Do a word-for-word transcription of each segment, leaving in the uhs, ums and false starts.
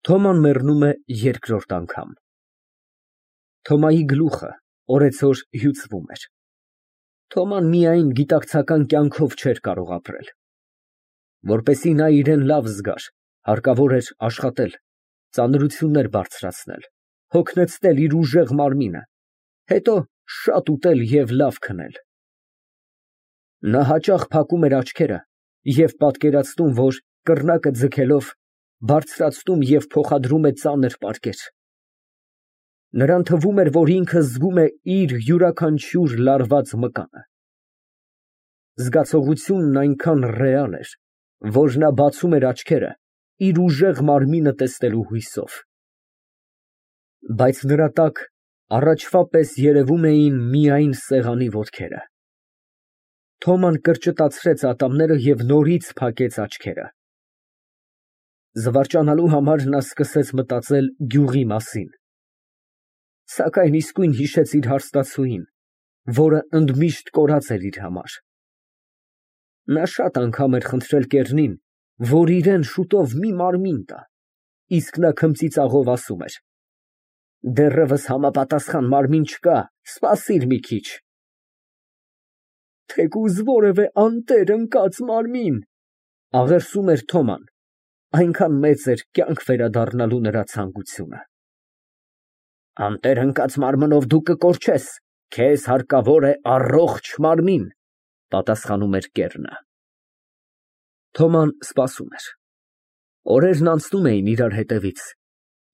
Թոման մեռնում է երկրորդ անգամ։ Թոմայի գլուխը օրեցօր հյուծվում էր։ Թոման միայն գիտակցական կյանքով չէր կարող ապրել։ Որպեսզի նա իրան լավ զգար, հարկավոր էր աշխատել, ծանրություններ բարձրացնել, հոգնեցնել իր ուժեղ մարմինը, հետո շատ ուտել և լավ քնել։ Նա հաճախ փակում էր աչքերը և պատկերացնում, որ կռնակը ձգելով բարձրացնում և փոխադրում է ծանր պարկեր։ Նրան թվում էր, որ ինքը զգում է իր յուրաքանչյուր լարված մկանը։ Զգացողությունն այնքան ռեալ էր, որ նա բացում էր աչքերը իր ուժեղ մարմինը տեսնելու հույսով։ Բայց նրա տակ առաջվա պես երևում էին միայն սեղանի ոտքերը։ Թոման կրճտացրեց ատամները և նորից փակեց աչքերը։ Զվարճանալու համար նա սկսեց մտածել գյուղի մասին, սակայն իսկույն հիշեց իր հարստացուին, որը ընդմիշտ կորած էր իր համար։ Նա շատ անգամ էր խնդրել կեռնին, որ իրան շուտով մի մարմին տա, իսկ նա քմծիծաղով ասում էր. «Դեռևս համապատասխան մարմին չկա, սպասիր մի քիչ»։ «Թեկուզ որևէ անտեր ընկած մարմին», աղերսում էր Թոման, այնքան մեծ էր կյանք վերադառնալու նրա ցանկությունը։ «Անտեր ընկած մարմնով դու կկորչես, քեզ հարկավոր է առողջ մարմին», պատասխանում էր կեռնը։ Թոման սպասում էր։ Օրերն անցնում էին իրար հետևից,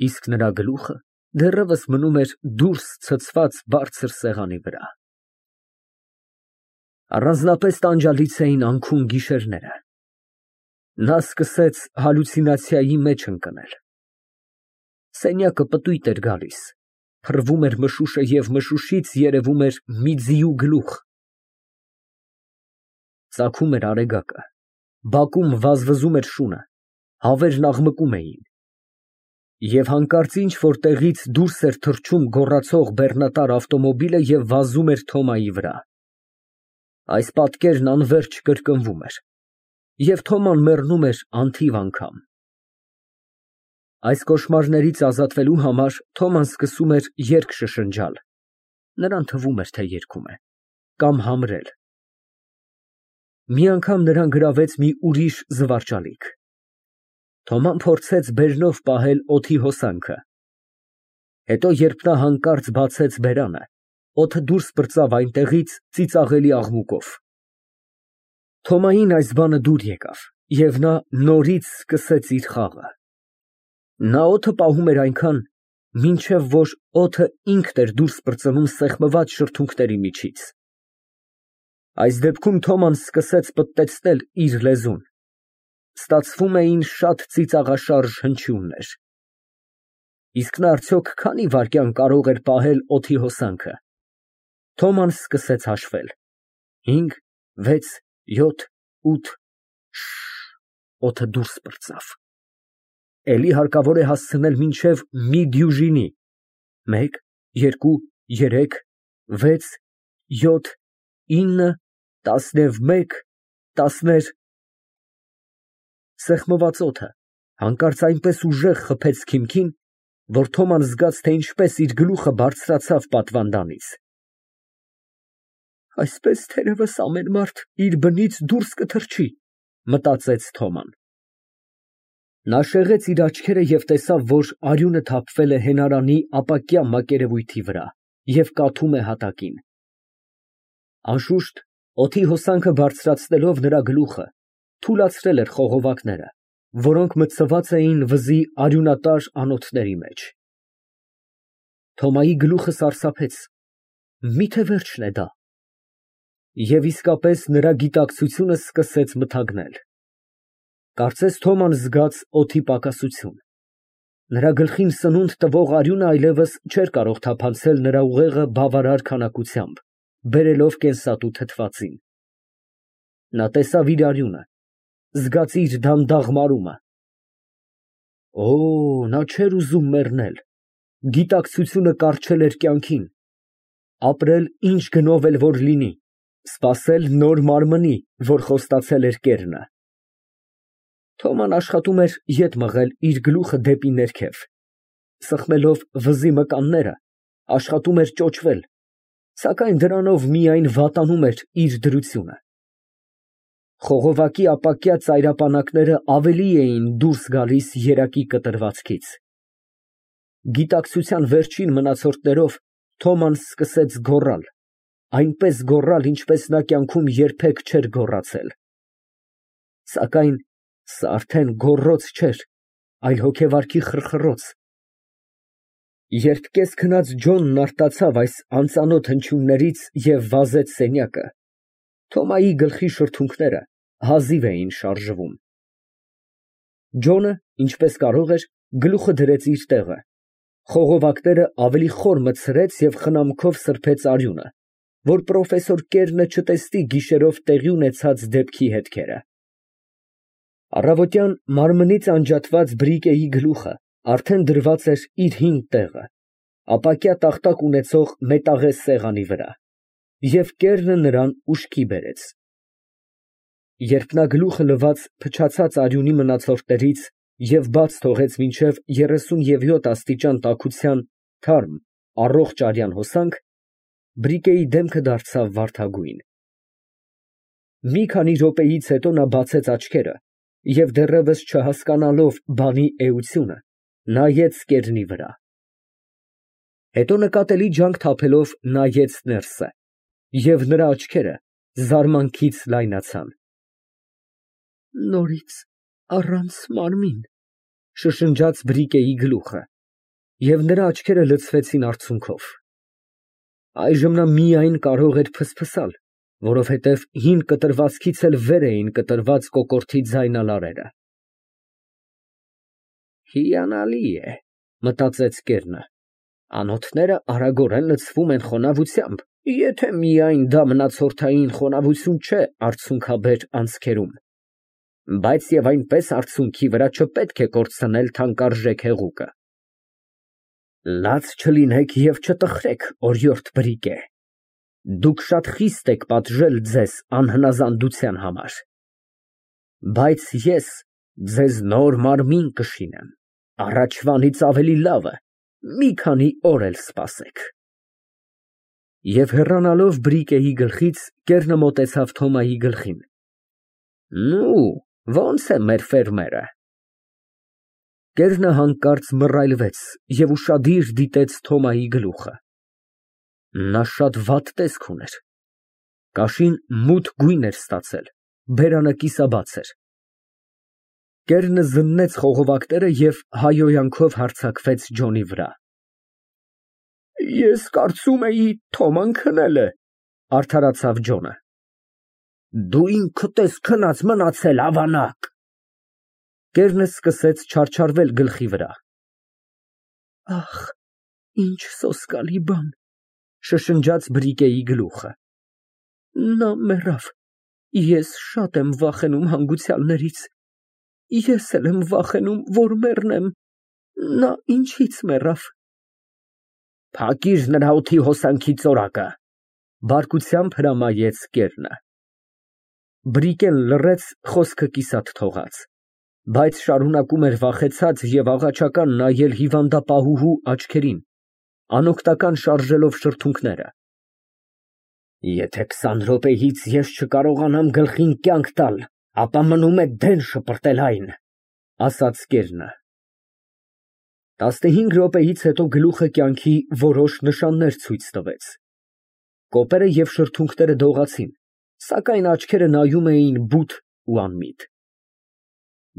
իսկ նրա գլուխը դեռևս մնում էր դուրս ցցված բարձր սեղանի վրա։ Առանձնապես տանջալից էին անքուն գիշերները։ Նա սկսեց հալյուցինացիայի մեջ ընկնել։ Սենյակը պտույտ էր գալիս, փռվում էր մշուշը և մշուշից երևում էր մի ձիու գլուխ։ Ծագում էր արեգակը, բակում վազվզում էր շունը, հավերն աղմկում էին։ Եվ հանկարծ ինչ֊որ տեղից դուրս էր թռչում գոռացող բեռնատար ավտոմոբիլը և վազում էր Թոմայի վրա։ Այս պատկերն անվերջ կրկնվում էր, և Թոման մեռնում էր անթիվ անգամ։ Այս կոշմարներից ազատվելու համար Թոման սկսում էր երգ շշնջալ, նրան թվում էր, թե երգում է, կամ համրել։ Մի անգամ նրան գրավեց մի ուրիշ զվարճալիք։ Թոման փորձեց բերնով պահել օդի հոսանքը։ Հետո, երբ նա հանկարծ բացեց բերանը, օդը դուրս պրծավ այնտեղից ծիծաղելի աղմուկով։ Թոմային այս բանը դուր եկավ, և նա նորից սկսեց իր խաղը։ Նա օդը պահում էր այնքան, մինչև որ օդը ինքն էր դուրս պրծնում սեղմված շրթունքների միջից։ Այս դեպքում Թոման սկսեց պտտեցնել իր լեզուն։ Ստացվում էին շատ ծիծաղաշարժ հնչյուններ։ Իսկ նա արդյոք քանի՞ վայրկյան կարող էր պահել օդի հոսանքը։ Թոման սկսեց հաշվել. հինգ, վեց, յոթ, ութ, շշ օդը դուրս պրծավ։ Էլի հարկավոր է հասցնել մինչև մի դյուժինի. մեկ, երկու, երեք, վեց, յոթ, ինը, տասնևմեկ, տասներ… Սեղմված օդը հանկարծ այնպես ուժեղ խփեց քիմքին, որ Թոման զգաց, թե ինչպես իր գլուխը բարձրացավ պատվանդանից։ «Այսպես թերևս ամեն մարդ իր բնից դուրս կթռչի», մտածեց Թոման։ Նա շեղեց իր աչքերը և տեսավ, որ արյունը թափվել է հենարանի ապակյա մակերևույթի վրա և կաթում է հատակին։ Անշուշտ, օդի հոսանքը բարձրացնելով նրա գլուխը, թուլացրել էր խողովակները, որոնք մտցված էին վզի արյունատար անոթների մեջ։ Թոմայի գլուխը սարսափեց. մի՞թե վերջն է դա։ Եվ իսկապես նրա գիտակցությունը սկսեց մթագնել։ Կարծես Թոման զգաց օդի պակասություն։ Նրա գլխին սնունդ տվող արյունը այլևս չէր կարող թափանցել նրա ուղեղը բավարար քանակությամբ, բերելով կենսատու թթվածին։ Նա տեսավ իր արյունը, զգաց իր դանդաղ մարումը։ Օ, նա չէր ուզում մեռնել, գիտակցությունը կառչել էր կյանքին, ապրել ինչ գնով էլ որ լինի, սպասել նոր մարմնի, որ խոստացել էր կեռնը։ Թոման աշխատում էր ետ մղել իր գլուխը դեպի ներքև, սխմելով վզի մկանները, աշխատում էր ճոճվել, սակայն դրանով միայն վատանում էր իր դրությունը։ Խողովակի ապակյա ծայրապանակները ավելի էին դուրս գալիս երակի կտրվածքից։ Գիտակցության վերջին մնացորդներով Թոման սկսեց գոռալ, այնպես գոռալ, ինչպես նա կյանքում երբեք չէր գոռացել։ Սակայն սա արդեն գոռոց չէր, այլ հոգեվարքի խրխռոց։ Երբ կես քնած Ջոնն արտացավ այս անծանոթ հնչյուններից և վազեց սենյակը, Թոմայի գլխի շրթունքները հազիվ էին շարժվում։ Ջոնը, ինչպես կարող էր, գլուխը դրեց իր տեղը, խողովակները ավելի խոր մտցրեց և խնամքով սրբեց արյունը, որ պրոֆեսոր Կերնը չտեսնի գիշերով տեղի ունեցած դեպքի հետքերը։ Առավոտյան մարմնից անջատված բրիկեի գլուխը արդեն դրված էր իր հին տեղը, ապակյա տախտակ ունեցող մետաղե սեղանի վրա, և Կերնը նրան ուշքի բերեց։ Երբ նա գլուխը լվաց փչացած արյունի մնացորդներից և բաց թողեց մինչև երեսունևյոթ աստիճան տաքության թարմ, առողջ արյան հոսանք, բրիկեի դեմքը դարձավ վարդագույն։ Մի քանի րոպեից հետո նա բացեց աչքերը և դեռևս չհասկանալով բանի էությունը, նայեց Կերնի վրա։ Հետո նկատելի ջանք թափելով նայեց ներսը, և նրա աչքերը զարմանքից լայնացան։ Նորից առանց մարմին, շշնջաց բրիկեի գլուխը, և նրա աչքերը լցվեցին արցունքով։ Այժմ նա միայն կարող էր ֆսֆսալ, որովհետև հին կտրվածքից էլ վեր էին կտրված կոկորդի ձայնալարերը։ Հիանալի է, մտածեց Կերնը, անոթները արագորեն լցվում են խոնավությամբ, եթե միայն դա մնացորդային խոնավություն չէ արցունքաբեր անցքերում, բայց և այնպես արցունքի վրա չպետք է կորցնել թանկարժեք հեղուկը։ Լաց չլինեք և չտխրեք, օրիորդ բրիկե, դուք շատ խիստ եք պատժել ձեզ անհնազանդության համար, բայց ես ձեզ նոր մարմին կշինեմ, առաջվանից ավելի լավը, մի քանի օր էլ սպասեք։ Եվ հեռանալով բրիկեի գլխից, Կերնը մոտեցավ Թոմայի գլխին։ Նու, ո՞նց է մեր ֆերմերը։ Կերնը հանկարծ մռայլվեց և ուշադիր դիտեց Թոմայի գլուխը։ Նա շատ վատ տեսք ուներ։ Կաշին մութ գույն էր ստացել, բերանը կիսաբաց էր։ Կերնը զննեց խողովակները և հայհոյանքով հարձակվեց Ջոնի վրա։ Ես կարծում էի Թոման քնել է, արդարացավ Ջոնը։ Դու ինքդ ես քնած մնացել, ավանակ։ Կերնը սկսեց չարչարվել գլխի վրա։ Ախ, ինչ սոսկալի բան, շշնջաց բրիկեի գլուխը։ Նա մեռավ, ես շատ եմ վախենում հանգուցյալներից, ես էլ եմ վախենում, որ մեռնեմ, նա ինչից մեռավ։ Փակիր նրա օդի հոսանքի ծորակը, բարկությամբ հրամայեց Կերնը։ Բրիկեն լռեց, խոսքը կիսատ թողած, բայց շարունակում էր վախեցած և աղաչական նայել հիվանդապահուհու աչքերին, անօգնական շարժելով շրթունքները։ Եթե քսան րոպեից ես չկարողանամ գլխին կյանք տալ, ապա մնում է դեն շպրտել այն, ասաց Կերնը։ Տասնհինգ րոպեից հետո գլուխը կյանքի որոշ նշաններ ցույց տվեց։ Կոպերը և շրթունքները դողացին, սակայն աչքերը նայում էին բութ ու անմիտ։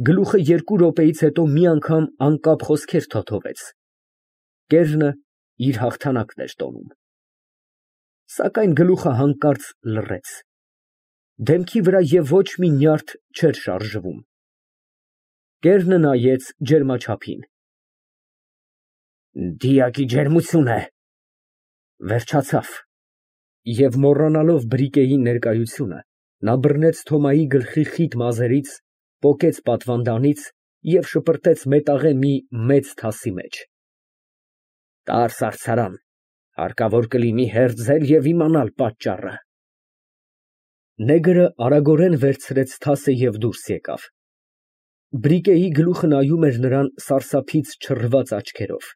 Գլուխը երկու րոպեից հետո մի անգամ անկապ խոսքեր թոթվեց։ Կերնը իր հաղթանակն էր տոնում։ Սակայն գլուխը հանկարծ լռեց։ Դեմքի վրա և ոչ մի նյարդ չէր շարժվում։ Կերնը նայեց ջերմաչափին։ Դիակի ջերմություն է։ Վերջացավ։ Եվ մոռանալով բրիկեի ներկայությունը, նա բռնեց Թոմայի գլխի խիտ մազերից, պոկեց պատվանդանից և շպրտեց մետաղե մի մեծ թասի մեջ։ Տար սարսարան, հարկավոր կլինի հերձել և իմանալ պատճառը։ Նեգրը արագորեն վերցրեց թասը և դուրս եկավ։ Բրիկեի գլուխը նայում էր նրան սարսափից չռված աչքերով։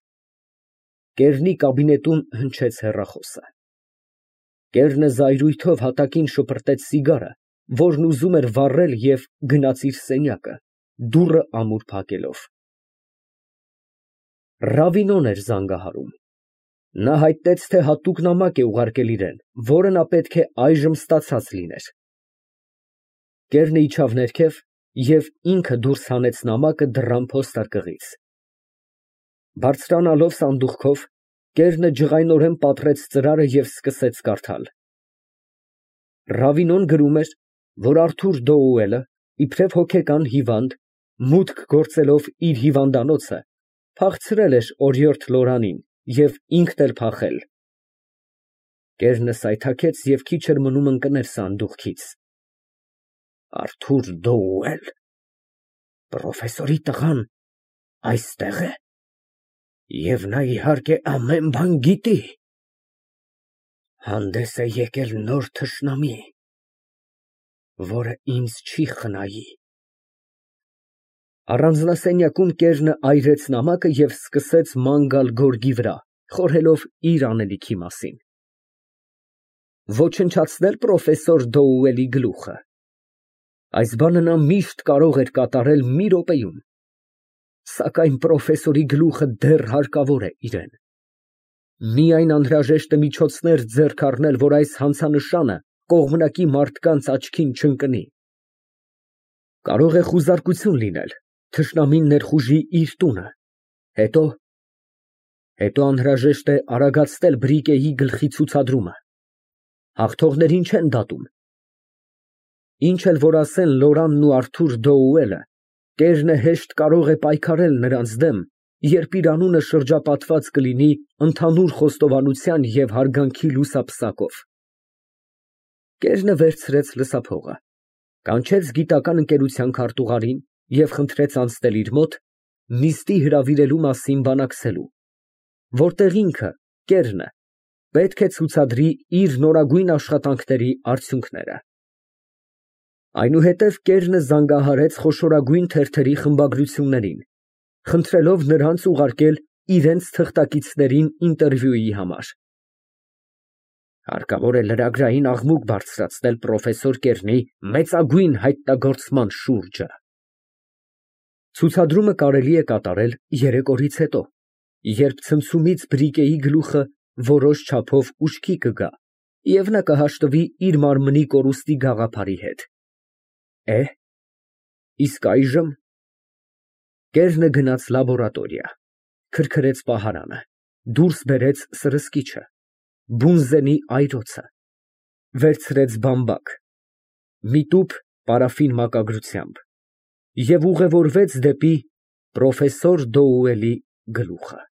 Կեռնի կաբինետում հնչեց հեռախոսը։ Կեռնը զայրույթով հատակին շպրտեց սիգարը, որն ուզում էր վառել, և գնաց իր սենյակը, դուռը ամուր փակելով։ Ռավինոն էր զանգահարում։ Նա հայտնեց, թե հատուկ նամակ է ուղարկել իրան, որը նա պետք է այժմ ստացած լիներ։ Կեռնը իջավ ներքև և ինքը դուրս հանեց նամակը դռան փոստարկղից։ Բարձրանալով սանդուղքով, կեռնը ջղայնորեն պատռեց ծրարը և սկսեց կարդալ։ Ռավինոն գրում էր, որ Արթուր Դոուելը, իբրև հոգեկան հիվանդ, մուտք գործելով իր հիվանդանոցը, փախցրել էր օրիորդ Լորանին և ինքն էլ փախել։ Կեռնը սայթաքեց և քիչ էր մնում ընկներ սանդուղքից։ Արթուր Դոուել, պրոֆեսորի տղան այստե՞ղ է, և նա, իհարկե, ամեն բան գիտի։ Հանդես է եկել նոր թշնամի, որը ինձ չի խնայի։ Առանձնասենյակում կեռնը այրեց նամակը և սկսեց ման գալ գորգի վրա, խորհելով իր անելիքի մասին։ Ոչնչացնել պրոֆեսոր Դոուելի գլուխը։ Այս բանը նա միշտ կարող էր կատարել մի րոպեում, սակայն պրոֆեսորի գլուխը դեռ հարկավոր է իրան։ Միայն անհրաժեշտ է միջոցներ ձեռք առնել, որ այս հանցանշանը կողմնակի մարդկանց աչքին չընկնի։ Կարող է խուզարկություն լինել, թշնամին ներխուժի իր տունը, հետո… հետո անհրաժեշտ է արագացնել բրիկեի գլխի ցուցադրումը։ Հաղթողներին չեն դատում։ Ինչ էլ որ ասեն Լորանն ու Արթուր Դոուելը, կեռնը հեշտ կարող է պայքարել նրանց դեմ, երբ իր անունը շրջապատված կլինի ընդհանուր խոստովանության և հարգանքի լուսապսակով։ Կեռնը վերցրեց լսափողը, կանչեց գիտական ընկերության քարտուղարին և խնդրեց անցնել իր մոտ, նիստի հրավիրելու մասին բանակցելու, որտեղ ինքը՝ կեռնը, պետք է ցուցադրի իր նորագույն աշխատանքների արդյունքները։ Այնուհետև կեռնը զանգահարեց խոշորագույն թերթերի խմբագրություններին, խնդրելով նրանց ուղարկել իրենց թղթակիցներին ինտերվյուի համար։ Հարկավոր է լրագրային աղմուկ բարձրացնել պրոֆեսոր Կեռնի մեծագույն հայտնագործման շուրջը։ Ցուցադրումը կարելի է կատարել երեկորից հետո, երբ ցնցումից բրիկեի գլուխը որոշ չափով ուշքի կգա, և նա կհաշտվի իր մարմնի կորուստի գաղափարի հետ։ Է՞, իսկ այժմ… Կեռնը գնաց լաբորատորիա, քրքրեց պահարանը, դուրս բերեց սրսկիչը, բունզենի այրոցը, վերցրեց բամբակ, մի տուփ պարաֆին մակագրությամբ և ուղևորվեց դեպի պրոֆեսոր Դոուելի գլուխը։